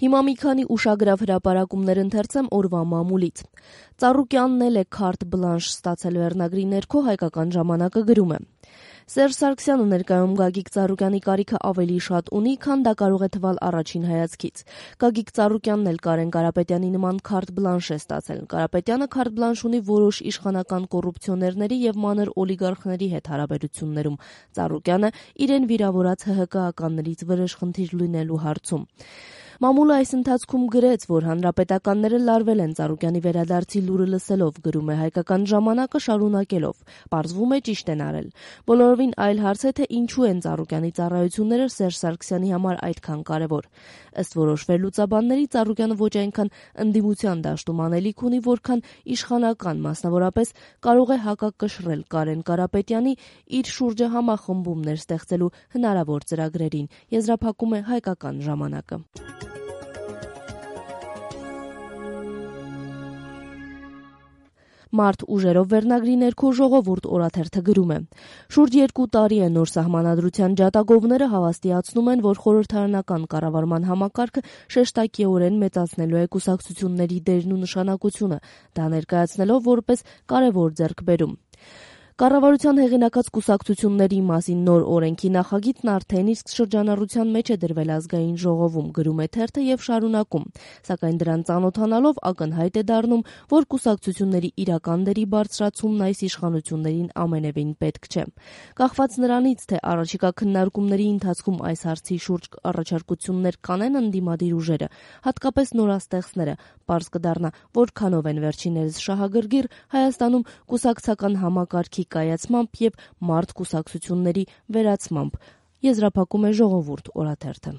Հիմա մի քանի ուշագրավ հրապարակումներ ընթերցեմ օրվա մամուլից։ Ծառուկյանն էլ է քարտ բլանշ ստացել վերնագրի ներքո Հայկական ժամանակը գրում է. Սերժ Սարգսյանը ներկայում Գագիկ Ծառուկյանի կարիքը ավելի շատ ունի, քան դա կարող է թվալ առաջին հայացքից։ Գագիկ Ծառուկյանն էլ Կարեն Կարապետյանի նման քարտ բլանշ է ստացել։ Կարապետյանը քարտ բլանշ ունի որոշ իշխանական կոռուպցիոներների եւ մանր օլիգարխների հետ հարաբերություններում։ Ծառուկյանը իրեն վիրավորած ՀՀԿ-ականներից վրեժխնդիր լինելու հարցում։ Մամուլը այս ընթացքում գրեց, որ հանրապետականները լարվել են Ծառուկյանի վերադարձի լուրը լսելով, գրում է Հայկական ժամանակը շարունակելով. Պարզվում է ճիշտ են արել։ Բոլորովին այլ հարց է, թե ինչու են Ծառուկյանի ծառայությունները Սերժ Սարգսյանի համար այդքան կարևոր։ Ըստ որոշ վերլուծաբանների Ծառուկյանը ոչ այնքան ընդդիմության դաշտում անելիք ունի, որքան իշխանական, մասնավորապես կարող է հակակշռել Կարեն Կարապետյանի իր շուրջը համախմբումներ ստեղծելու հնարավոր ծրագրերին, եզրափակում է Հայկական ժամանակը։ Մարդ ուժերով վերնագրի ներքո ժողովուրդ օրաթերթը գրում է. Շուրջ 2 տարի է նոր սահմանադրության ջատագովները հավաստիացնում են, որ խորհրդարանական կառավարման համակարգը շեշտակիորեն մեծացնելու է կուսակցությունների դերն ու նշանակությունը, դա ներկայացնելով որպես կարևոր ձեռքբերում։ Կառավարության հեղինակած կուսակցությունների մասին նոր օրենքի նախագիծն արդեն իսկ շրջանառության մեջ է դրվել ազգային ժողովում, գրում է թերթը եւ շարունակում, սակայն դրան ծանոթանալով ակնհայտ է դառնում, որ կուսակցությունների իրական դերի բարձրացումն այս իշխանություններին ամենևին պետք չէ։ Կախված նրանից, թե առաջիկա քննարկումների ընթացքում այս հարցի շուրջ առաջարկություններ կանեն ընդդիմադիր ուժերը, հատկապես նորաստեղծները, պարզ կդառնա, որքանով են վերջիններս շահագրգիռ Հայաստանում կուսակցական համակարգի կայացմամբ եւ մարդ կուսակցությունների վերացմամբ, եզրափակում է Ժողովուրդ օրաթերթը։